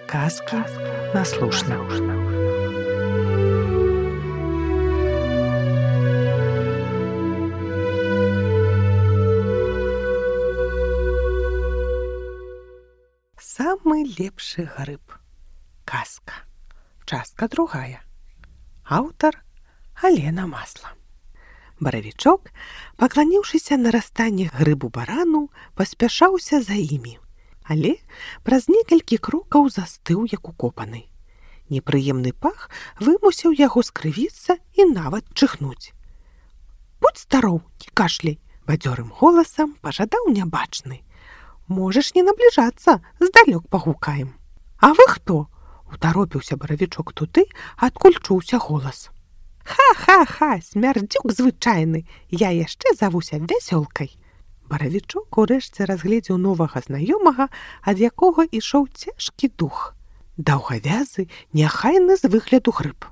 Казка на слушна. Самы лепшы грыб. Казка. Частка другая. Аўтар Алена Масла. Баравічок, пакланіўшыся на растанне грыбу барану, паспяшаўся за імі. Але праз некалькі крокаў застыў, як укопаны. Непрыемны пах вымусіў яго скрывіцца і нават чихнуць. «Будь здароў, не кашляй!» бадзёрым голасам пажадаў нябачны. «Можаш не набліжацца, здалёк пагукаем». «А вы хто?» — утаропіўся баравічок туды, адкуль чуўся голас. «Ха-ха-ха, смярдзюк звычайны, я яшчэ завуся вясёлкай». Баравічок урэшце разгледзеў новага знаёмага, ад якога ішоў цяжкі дух. Даўгавязы, няхайны з выгляду грыб.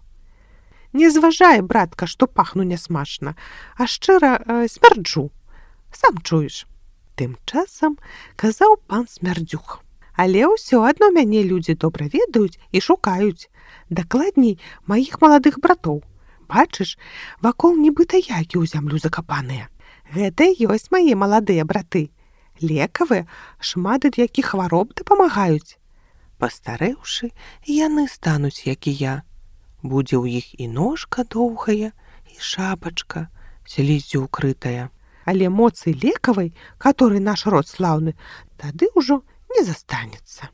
«Не зважай, братка, што пахну нясмачна, а шчыра смярджу. Сам чуеш». Тым часам казаў пан Смярдзюк. «Але ўсё адно мяне людзі добра ведаюць і шукаюць. Дакладней, маіх маладых братоў. Бачыш, вакол нібыта які ў зямлю закапаныя. Гэта і ёсць мае маладыя браты. Лекавыя, шмат ад якіх хвароб дапамагаюць. Пастарэўшы, яны стануць, як і я. Будзе ў іх і ножка доўгая, і шапачка, сліззю укрытая. Але моцы лекавай, которой наш род слаўны, тады ўжо не застанецца».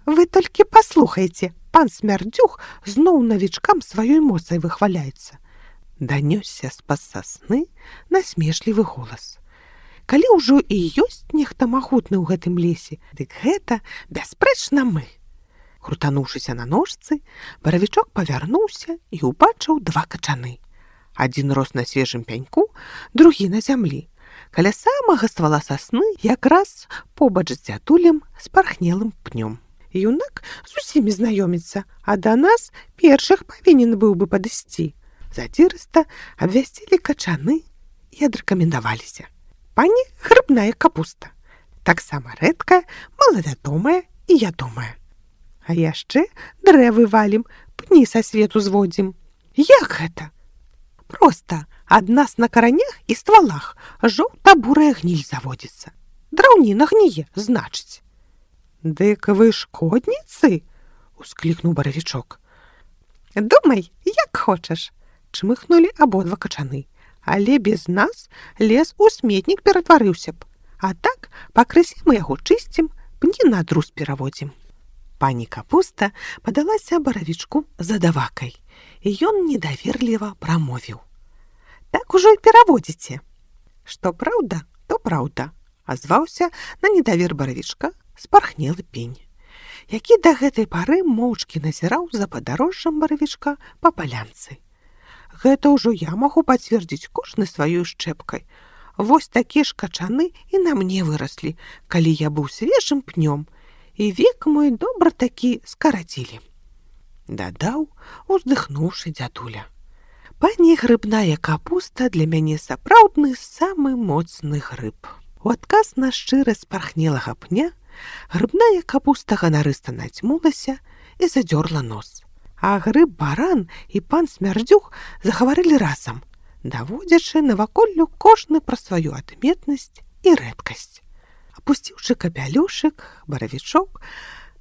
«Вы толькі паслухайце, пан Смярдзюк зноў навічкам сваёй моцай выхваляецца». Данёсся з-пад сасны насмешлівы голас. «Калі ўжо і ёсць нехта магутны ў гэтым лесе, дык гэта, бясспрэчна, мы». Крутануўшыся на ножцы, баравічок павярнуўся і ўбачыў два качаны. Адзін рос на свежым пяньку, другі на зямлі. Каля самага ствала сасны якраз побач з дзядулем з пархнелым пнём. Юнак з усімі знаёміцца, а да нас першых павінен быў бы падысці. Задзірыста абвясцілі качаны і адрэкамендаваліся. «Пані грыбная капуста. Таксама рэдкая, малавядомая і ядомая. А яшчэ дрэвы валім, пні са свету зводзім». «Як гэта?» «Проста ад нас на каранях і ствалах жоўта-бурая гніль заводзіцца. Драўніна гніе, значыць». «Дык вы шкодніцы?» — усклікнуў баравічок. «Думай, як хочаш», — чмыхнулі абодва качаны. «Але без нас лес у сметнік ператварыўся б. А так пакрысе мы яго чысцім, пні на друз пераводзім». Пані капуста падалася баравічку задавакай, і ён недаверліва прамовіў. «Так ужо і пераводзіце». «Што праўда, то праўда», — азваўся на недавер баравічка спархнелы пень, які да гэтай пары моўчкі назіраў за падарожжам баравічка па палянцы. «Гэта ўжо я магу пацвердзіць кожны сваёй шчэпкай. Вось такія ж качаны і на мне выраслі, калі я быў свежым пнём, і век мой добра такі скарацілі», — дадаў, уздыхнуўшы дзядуля. «Пані грыбная капуста для мяне сапраўдны самы моцны грыб». У адказ на шчырасць пархнелага пня грыбная капуста ганарыста нацьмулася і задзёрла нос. А грыб-баран і пан Смярдзюк загаварылі разам, даводзячы наваколлю кожны пра сваю адметнасць і рэдкасць. Апусціўшы капялюшык, баравічок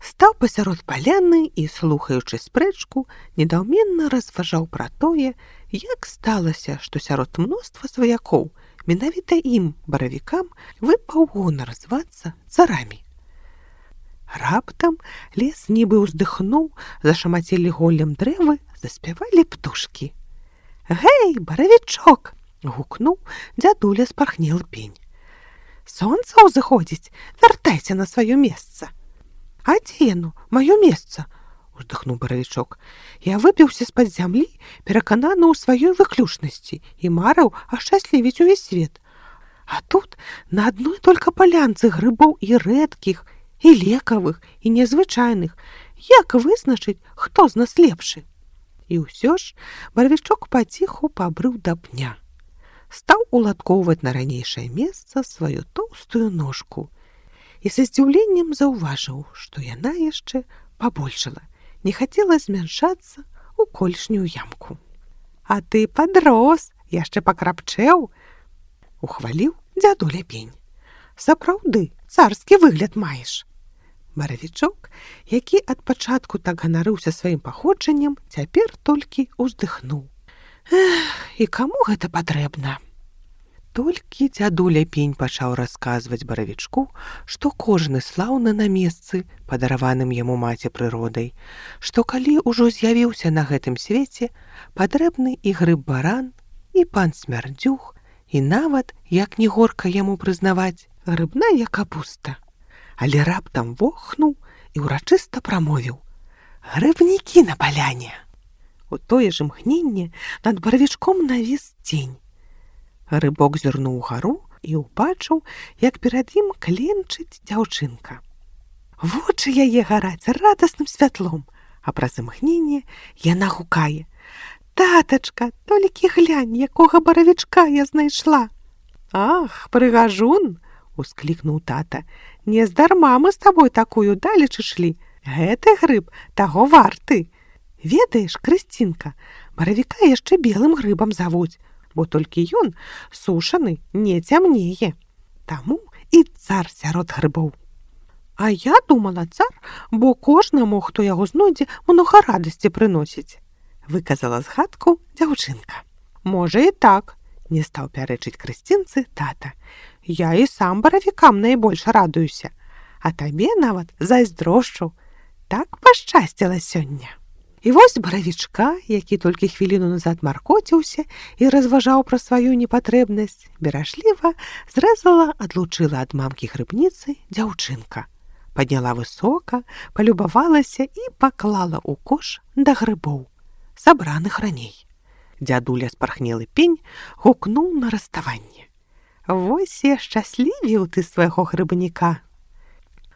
стаў пасярод паляны і, слухаючы спрэчку, недаўменна разважаў пра тое, як сталася, што сярод мноства сваякоў менавіта ім, баравікам, выпаў гонар звацца царамі. Раптам лес нібы ўздыхнуў, зашамацелі голлем дрэвы, заспявалі птушкі. «Гэй, баравічок!» — гукнуў дзядуля спархнелы пень. «Сонца ўзыходзіць, вяртайся на сваё месца». «А дзе яно, маё месца?» — уздыхнуў баравічок. «Я выбіўся з-пад зямлі, перакананы ў сваёй выключнасці і марыў ашчаслівіць увесь свет. А тут на адной толькі палянцы грыбоў і рэдкіх, і лекавых, і незвычайных. Як вызначыць, хто з нас лепшы?» І ўсё ж баравічок паціху пабрыў да пня. Стаў уладкоўваць на ранейшае месца сваю тоўстую ножку і са здзіўленнем заўважыў, што яна яшчэ побольшала, не хацела змяншацца ў колішнюю ямку. «А ты падрос, яшчэ пакрапчэў!» — ухваліў дзядуля пень. «Сапраўды, царскі выгляд маеш!» Баравічок, які ад пачатку так ганарыўся сваім паходжаннем, цяпер толькі ўздыхнуў. «Эх, і каму гэта патрэбна?» Толькі дзядуля пень пачаў расказваць баравічку, што кожны слаўны на месцы, падараваным яму маці прыродай, што калі ўжо з'явіўся на гэтым свеце, патрэбны і грыб-баран, і пан Смярдзюх, і нават, як не горка яму прызнаваць, грыбная капуста. Але раптам вохнуў і ўрачыста прамовіў: «Грыбнікі на паляне!» У тое ж імгненне над баравічком навіс цень. Грыбок зірнуў угару і ўбачыў, як перад ім кленчыць дзяўчынка. Вочы яе гараць радасным святлом, а праз імгненне яна гукае: «Татачка, толькі глянь, якога баравічка я знайшла!» «Ах, прыгажун!» — усклікнуў тата. «Нездарма мы з табой такую далеч ішлі. Гэты грыб таго варты. Ведаеш, Крысцінка, баравіка яшчэ белым грыбам завуць, бо толькі ён сушаны не цямнее. Таму і цар сярод грыбоў». «А я думала, цар, бо кожнаму, хто яго знойдзе, многа радасці прыносіць», — выказала згадку дзяўчынка. «Можа і так», — не стаў пярэчыць Крысцінцы тата. «Я і сам баравікам найбольш радуюся, а табе нават зайздрошчу. Так пашчасціла сёння». І вось баравічка, які толькі хвіліну назад маркоціўся і разважаў пра сваю непатрэбнасць, беражліва зрэзала, адлучыла ад мамкі грыбніцы дзяўчынка. Падняла высока, палюбавалася і паклала ў кош да грыбоў, сабраных раней. Дзядуля спархнелы пень гукнуў на раставанне: «Вось я шчаслівіў ты свайго грыбніка!»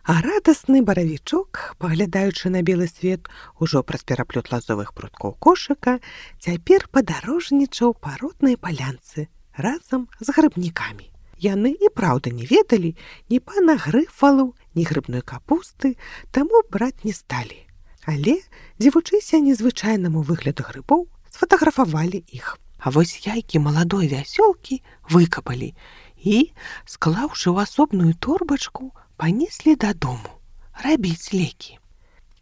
А радасны баравічок, паглядаючы на белы свет ужо праз пераплёт лазовых пруткоў кошыка, цяпер падарожнічаў па роднай палянцы разам з грыбнікамі. Яны і праўда не ведалі ні пана Грыфалу, ні грыбной капусты, таму браць не сталі. Але, дзівучыся незвычайнаму выгляду грыбоў, сфотаграфавалі іх. А вось яйкі маладой вясёлкі выкапалі і, склаўшы ў асобную торбачку, панеслі дадому рабіць лекі.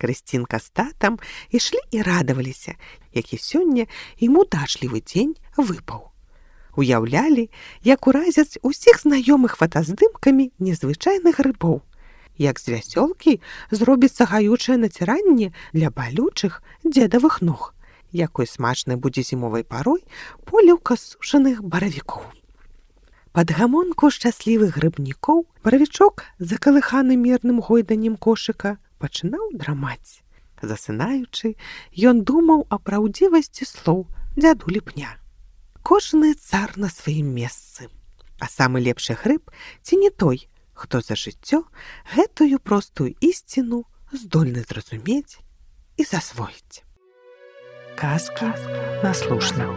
Крысцінка з татам ішлі і радаваліся, які сёння ім удачлівы дзень выпаў. Уяўлялі, як уразяць усіх знаёмых фотаздымкамі незвычайных грыбоў, як з вясёлкі зробіцца гаючае націранне для балючых дзедавых ног, якой смачнай будзе зімовай парой поліўка сушаных баравікоў. Пад гамонку шчаслівых грыбнікоў баравічок, закалыханы мерным гойданнем кошыка, пачынаў драмаць. Засынаючы, ён думаў о праўдзівасці слоў дзядулі пня. Кожны цар на сваім месцы, а самы лепшы грыб ці не той, хто за жыццё гэтую простую ісціну здольны зразумець і засвоіць. Казка наслушна.